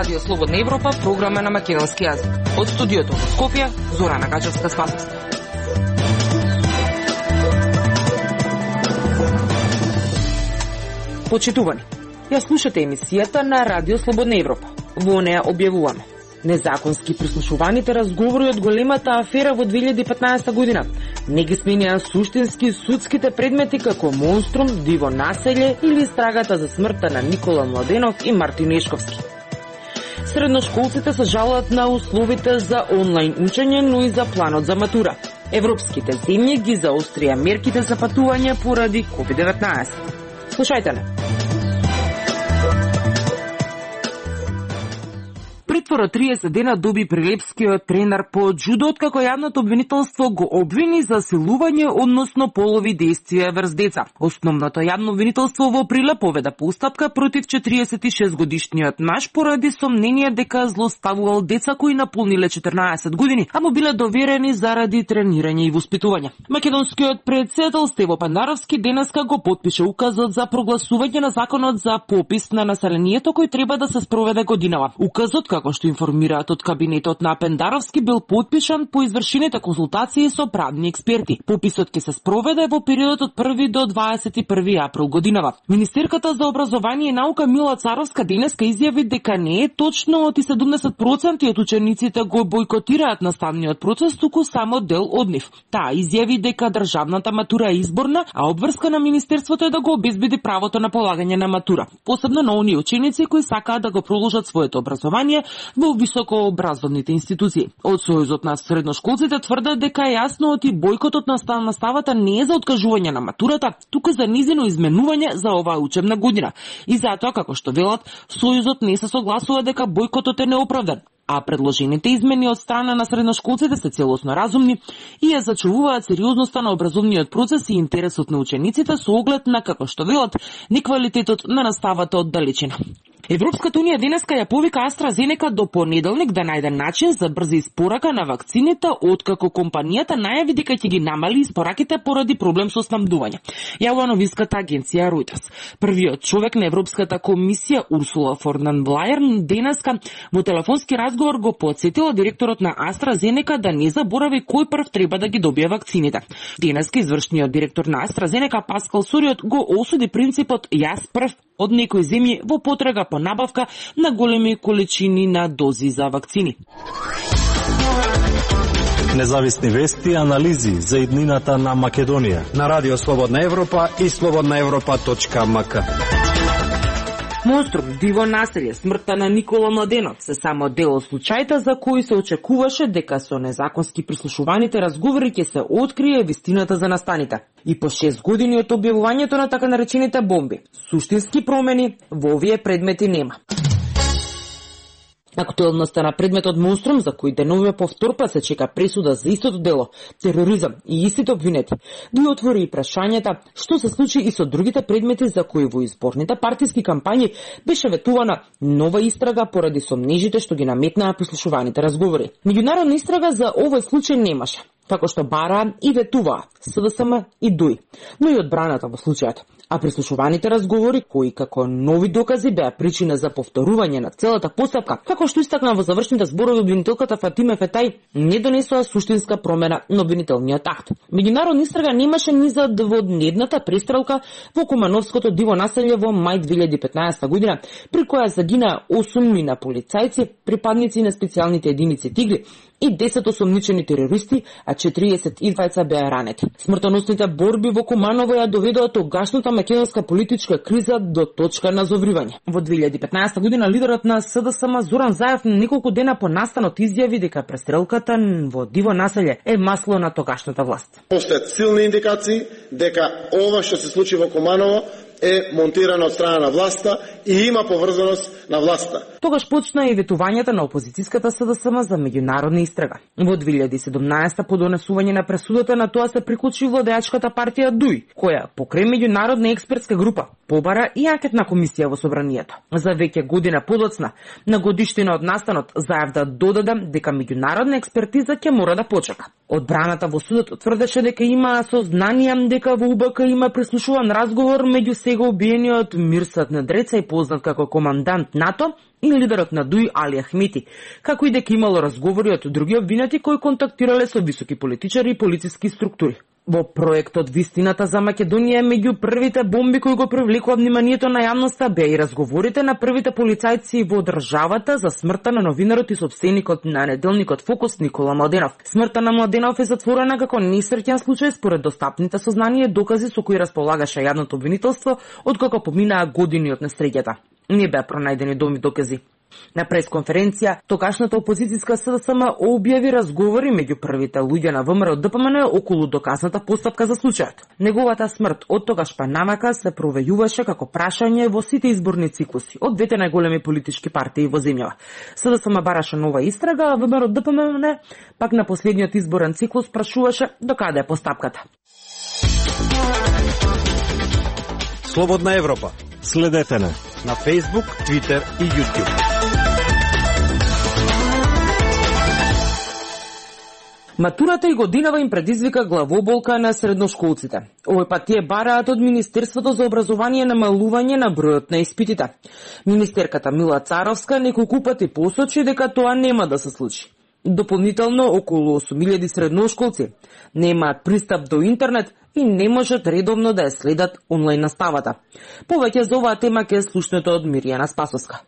Радио Слободна Европа, програма на македонски јазик. Од студиото во Скопје, Зорана Гаџевска-Спасовска. Почитувани, ја слушате емисијата на Радио Слободна Европа. Во неја објавуваме незаконски прислушуваните разговори од големата афера во 2015 година. Не ги сменија суштински судските предмети како монструм, диво населје или истрагата за смртта на Никола Младенов и Мартин Ешковски. Средношколците се жалат на условите за онлайн учење, но и за планот за матура. Европските земји ги заострија мерките за патување поради COVID-19. Слушајте не. Притвор од 30 дена доби прилепскиот тренер по џудо, откако јавното обвинителство го обвини за силување, односно полови действија врз деца. Основното јавно обвинителство во април поведа постапка против 46-годишниот маж поради сомнение дека злоставувал деца кои наполниле 14 години, а му биле доверени заради тренирање и воспитување. Македонскиот претседател Стево Пандаровски денеска го потпише указот за прогласување на законот за попис на населението кој треба да се спроведе годинава. Указот, како што информираат од кабинетот на Пендаровски, бил потпишан по извршените консултации со правни експерти. Пописот ќе се спроведе во периодот од 1 до 21 април годинава. Министерката за образование и наука Мила Царовска денеска изјави дека не е точно оти 70% од учениците го бойкотираат наставниот процес, туку само дел од нив. Таа изјави дека државната матура е изборна, а обврска на министерството е да го обезбеди правото на полагање на матура, посебно на оние ученици кои сакаат да го продолжат своето образование во високообразовните институции. Од Сојузот на средношколците тврдат дека е јасно оти бојкотот на наставата не е за откажување на матурата, туку за низино изменување за оваа учебна година. И затоа, како што велат, Сојузот не се согласува дека бојкотот е неоправдан, а предложените измени од страна на средношколците се целосно разумни и ја зачувуваат сериозноста на образовниот процес и интересот на учениците со оглед на, како што велат, неквалитетот на наставата од далечина. Европската унија денеска ја повика AstraZeneca до понеделник да најде начин за брза испорака на вакцините, откако компанијата најави дека ќе ги намали испораките поради проблем со снабдување. Јавува новинската агенција Reuters. Првиот човек на Европската комисија Урсула фон дер Лајен денеска во телефонски разговор го потсетила директорот на AstraZeneca да не заборави кој прв треба да ги добие вакцините. Денеска извршниот директор на AstraZeneca Паскал Сориот го осуди принципот јас прв од некои земји во потрага по набавка на големи количини на дози за вакцини. Независни вести и анализи за иднината на Македонија на Радио Слободна Европа и slobodnaevropa.mk. Монструм, диво населје, смртта на Никола Младенов се само дел од случаите за кои се очекуваше дека со незаконски прислушуваните разговори ќе се открие вистината за настаните. И по 6 години од објавувањето на така наречените бомби, суштински промени во овие предмети нема. Актуелноста на предметот монструм, за кој деновиве повторпа се чека пресуда за истото дело, тероризам и истите обвинети, ги отвори и прашањата што се случи и со другите предмети за кои во изборните партиски кампањи беше ветувана нова истрага поради сомнежите што ги наметнаа прислушуваните разговори. Меѓународна истрага за овој случај немаше, како што бараа и ветуваа СДСМ и ДУИ, но и одбраната во случајот. А прислушуваните разговори, кои како нови докази беа причина за повторување на целата постапка, како што истакна во завршните зборови обвинителката Фатиме Фетај, не донесоа суштинска промена на обвинителниот акт. Меѓународна истрага немаше ни за дводневната престрелка во Кумановското диво населје во мај 2015 година, при која загинаа 8 мина полицајци, припадници на специјалните единици Тигри, и 10 осомничени терористи, а 42 беа ранети. Смртоносните борби во Куманово ја доведоа тогашната македонска политичка криза до точка на зовривање. Во 2015 година лидерот на СДСМ Зоран Заев неколку дена по настанот изјави дека престрелката во диво населје е масло на тогашната власт. Постојат силни индикации дека ова што се случи во Куманово е монтирана од страна на власта и има поврзаност на власта. Тогаш почна и ветувањата на опозицијската СДСМ за меѓународна истрага. Во 2017 по донесување на пресудата на тоа се приклучи владеачката партија ДУИ, која покрај меѓународна експертска група побара и анкетна комисија во собранието. За веќе година подоцна, на годиштина од настанот, заев да додаде дека меѓународна експертиза ќе мора да почека. Одбраната во судот тврдеше дека има сознание дека во УБК има прислушуван разговор меѓу сега убиениот Мирсат Недреца и познат како командант НАТО и лидерот на ДУИ Али Ахмети, како и дека имало разговори од други обвинети кои контактирале со високи политичари и полициски структури. Во проектот Вистината за Македонија меѓу првите бомби кои го привлекува вниманието на јавноста беа и разговорите на првите полицајци во државата за смртта на новинарот и сопственикот на неделникот Фокус Никола Младенов. Смртта на Младенов е затворена како несреќен случај според достапните сознание и докази со кои располагаше јавното обвинителство откако поминаа години од несреќата. Не беа пронајдени доми докази. На пресконференција, тогашната опозицијска СДСМ објави разговори меѓу првите луѓе на ВМРО ДПМН околу доказната постапка за случајот. Неговата смрт од тогаш па навака се провејуваше како прашање во сите изборни циклуси од двете најголеми политички партии во земјава. СДСМ бараше нова истрага, а ВМРО ДПМН пак на последниот изборен циклус прашуваше до каде е постапката. Слободна Европа. Следете на Facebook, Twitter и YouTube. Матурата и годинава им предизвика главоболка на средношколците. Овој пат тие бараат од Министерството за образование намалување на бројот на испитите. Министерката Мила Царовска неколку пати посочи дека тоа нема да се случи. Дополнително, околу 8.000 средношколци немаат пристап до интернет и не можат редовно да ја следат онлайн наставата. Повеќе за оваа тема ќе слушнете од Миријана Спасовска.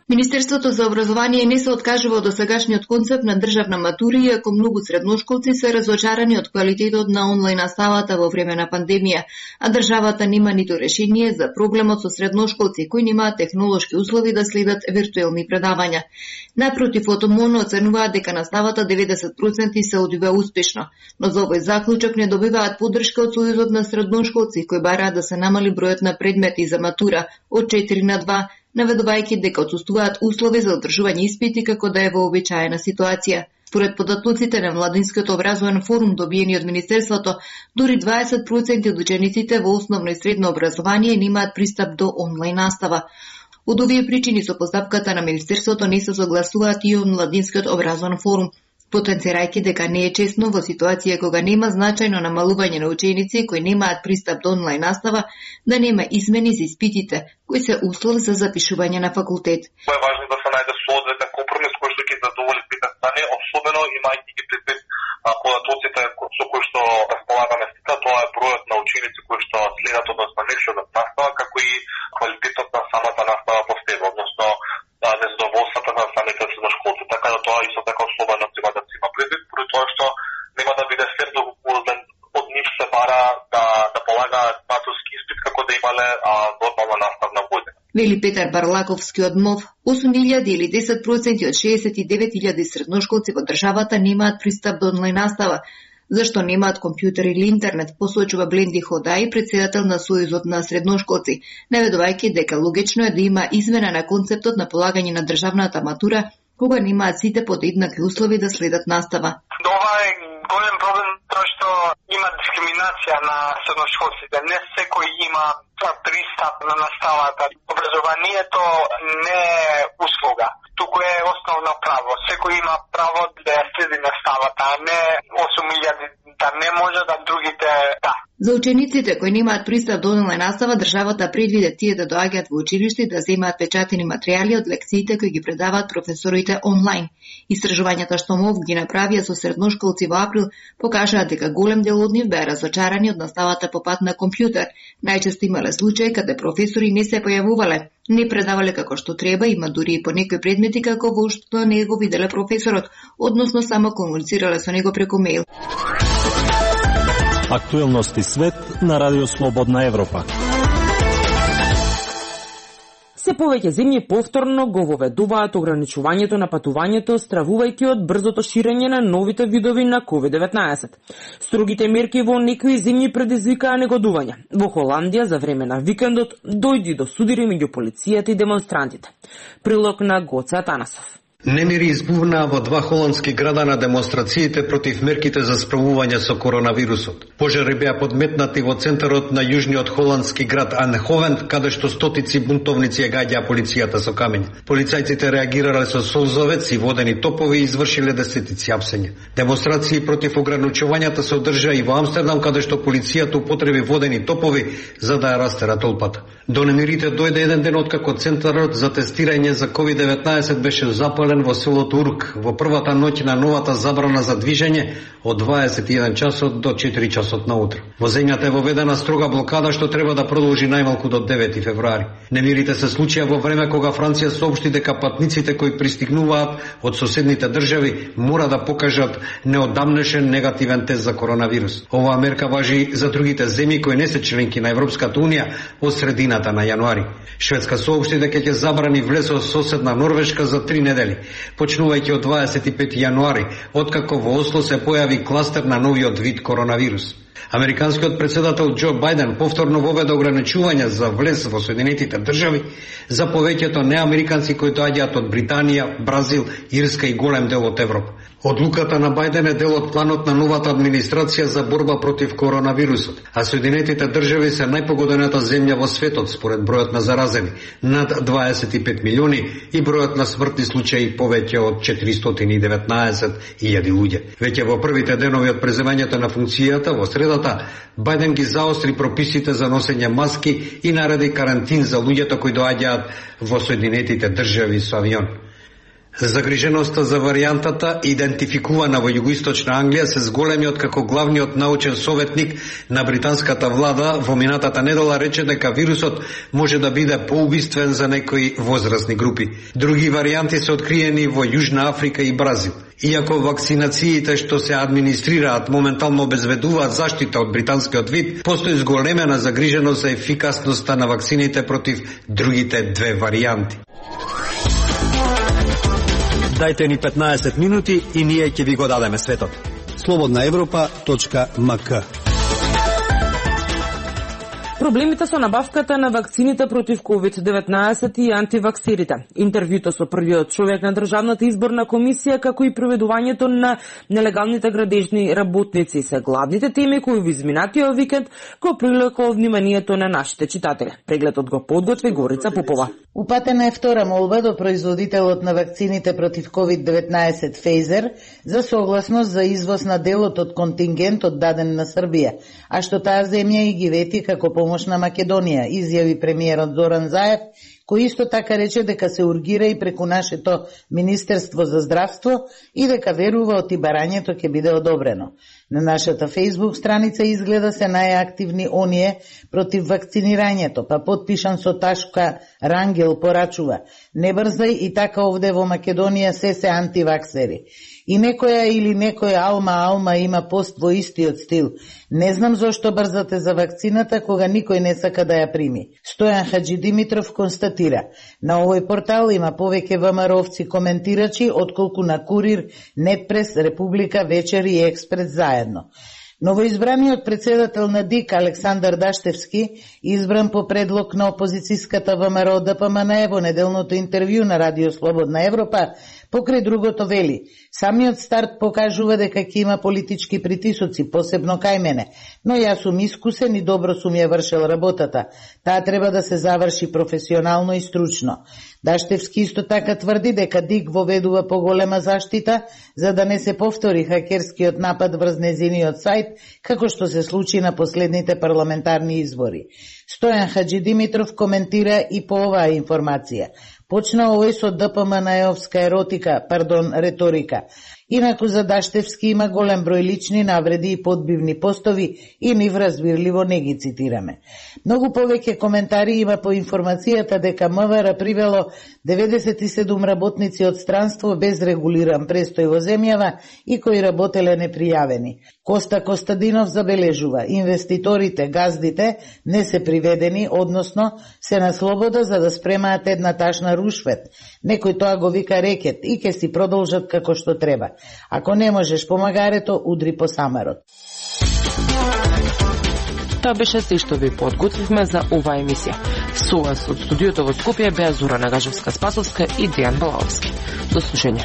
Министерството за образование не се откажува од досегашниот концепт на државна матура, иако многу средношколци се разочарани од квалитетот на онлайн наставата во време на пандемија, а државата нема ниту решение за проблемот со средношколци кои немаат технолошки услови да следат виртуелни предавања. Напротив, од ОМОН оценуваат дека наставата 90% се одвива успешно, но за овој заклучок не добиваат поддршка од Сојузот на средношколци кои бараат да се намали бројот на предмети за матура од 4 на 2, наведувајќи дека отсуствуваат услови за одржување испити како да е вообичаена ситуација. Според податоците на Младинскиот образовен форум добиени од Министерството, дури 20% од учениците во основно и средно образование немаат пристап до онлайн настава. Од овие причини со постапката на Министерството не се согласуваат и од Младинскиот образовен форум, потенцирајќи дека не е чесно во ситуација кога нема значајно намалување на ученици кои немаат пристап до онлайн настава, да нема измени за испитите, кои се услов за запишување на факултет. Е важно да се најде соодветен компромис кој што ќе задоволи двете страни, особено имајќи ги предвид податоците со кои што располагаме сега, тоа е бројот на ученици кои што следат, односно не следат настава, како и квалитетот на самата настава по себе, односно незадоволството на самите средношколци, така да тоа исто така особено треба да се има предвид, поради тоа што нема да биде фер од нив се бара да полагаат матурски испит како да имале нормална наставна година. Вели Петар Барлаковски од МОВ, 8.000 или 10% од 69.000 средношколци во државата немаат пристап до онлайн настава, зашто немаат компјутер или интернет, посочува Бленди Ходај, председател на Сојузот на средношколци, наведувајќи дека логично е да има измена на концептот на полагање на државната матура, кога немаат сите под еднакви услови да следат настава. Ова е голем проблем тоа што има дискриминација на средношколците. Не секој има пристап на наставата. Образованието не е услуга, туку е основно право. Секој има право да ја следи наставата, а не 8.000 да не може, да другите да. За учениците кои немаат пристап до онлайн настава, државата предвиде тие да доаѓаат во училиште и да земаат печатени материјали од лекциите кои ги предаваат професорите онлайн. Истражувањата што МОВ ги направија со средношколци во април покажаат дека голем дел од нив беа разочарани од наставата по пат на компјутер. Најчесто имале случаи каде професори не се појавувале, не предавале како што треба, има дури и по некои предмети како во што не го виделе професорот, односно само комуницирале со него преку мејл. Актуелности свет на Радио Слободна Европа. Се повеќе земји повторно го воведуваат ограничувањето на патувањето, стравувајќи од брзото ширење на новите видови на COVID-19. Строгите мерки во некои земји предизвикаа негодување. Во Холандија за време на викендот дојди до судири меѓу полицијата и демонстрантите. Прилог на Гоце Атанасов. Немири избувнаа во два холандски града на демонстрациите против мерките за справување со коронавирусот. Пожари беа подметнати во центарот на јужниот холандски град Анховен, каде што стотици бунтовници ја гаѓаа полицијата со камења. Полицајците реагирале со солзовец и водени топови и извршиле десетици апсења. Демонстрации против ограничувањата се одржаа и во Амстердам, каде што полицијата употреби водени топови за да ја растера толпата. До немирите дојде еден ден откако центарот за тестирање за COVID-19 беше запален во селото Урк во првата ноќ на новата забрана за движење од 21 часот до 4 часот наутро. Во земјата е воведена строга блокада што треба да продолжи најмалку до 9 февруари. Немирите се случија во време кога Франција соопшти дека патниците кои пристигнуваат од соседните држави мора да покажат неодамнешен негативен тест за коронавирус. Оваа мерка важи за другите земји кои не се членки на Европската унија од средината на јануари. Шведска соопшти дека ќе забрани влез од соседна Норвешка за 3 недели, почнувајќи од 25 јануари, откако во Осло се појави кластер на новиот вид коронавирус. Американскиот председател Џо Бајден повторно воведе ограничувања за влез во Соединетите држави за повеќето неамериканци кои доаѓаат од Британија, Бразил, Ирска и голем дел од Европа. Одлуката на Бајден е дел од планот на новата администрација за борба против коронавирусот, а Соединетите држави се најпогодената земја во светот според бројот на заразени, над 25 милиони и бројот на смртни случаи повеќе од 419.000 луѓе. Веќе во првите денови од преземањето на функцијата во средата, Бајден ги заостри прописите за носење маски и нареди карантин за луѓето кои доаѓаат во Соединетите држави со авион. Загриженоста за варијантата, идентификувана во југоисточна Англија, се зголеми откако главниот научен советник на британската влада во минатата недела рече дека вирусот може да биде поубиствен за некои возрастни групи. Други варијанти се откриени во Јужна Африка и Бразил. Иако вакцинациите што се администрираат моментално обезбедуваат заштита од британскиот вид, постои зголемена загриженост за ефикасноста на вакцините против другите две варијанти. Дајте ни 15 минути и ние ќе ви го дадеме светот. slobodnaevropa.mk. Проблемите со набавката на вакцините против COVID-19 и антиваксерите. Интервјуто со првиот човек на Државната изборна комисија, како и проведувањето на нелегалните градежни работници се главните теми кои во изминатиот викенд го привлекоа вниманието на нашите читатели. Прегледот го подготви Горица Попова. Упатена е втора молба до производителот на вакцините против COVID-19 Pfizer за согласност за извоз на делот од контингентот даден на Србија, а што таа земја и ги вети како помош на Македонија, изјави премиерот Зоран Заев, кој исто така рече дека се ургира и преку нашето Министерство за здравство и дека верува оти барањето ќе биде одобрено. На нашата Facebook страница изгледа се најактивни оние против вакцинирањето, па подпишан со ташка Рангел порачува: не брзај, и така овде во Македонија се антиваксери. И некоја или некој алма има пост во истиот стил: не знам зошто брзате за вакцината кога никој не сака да ја прими. Стојан Хаджи Димитров констатира: на овој портал има повеќе ВМРО-овци коментирачи отколку на Курир, Нетпрес, Република, Вечер и Експрес заедно. Новоизбраниот председател на ДИК Александар Даштевски, избран по предлог на опозицијската ВМРО ДПМН во неделното интервју на Радио Слободна Европа, покрај другото вели: самиот старт покажува дека ќе има политички притисоци, посебно кај мене, но јас сум искусен и добро сум ја вршел работата. Таа треба да се заврши професионално и стручно. Даштевски исто така тврди дека ДИК воведува поголема заштита за да не се повтори хакерскиот напад врз незиниот сајт, како што се случи на последните парламентарни избори. Стојан Хаджи Димитров коментира и по оваа информација: почна овој со ДПМН-овска реторика. Инаку за Даштевски има голем број лични навреди и подбивни постови и нив разбирливо не ги цитираме. Многу повеќе коментари има по информацијата дека МВР привело 97 работници од странство без регулиран престој во земјава и кои работеле непријавени. Коста Костадинов забележува, инвеститорите, газдите не се приведени, односно се на слобода за да спремаат една ташна рушвет. Некој тоа го вика рекет и ке си продолжат како што треба. Ако не можеш по магарето, удри по самарот. Тоа беше се што ви подготвивме за оваа емисија. Со вас од студиото во Скопје беа Зора Нагажевска-Спасовска и Дејан Балаовски. До слушање.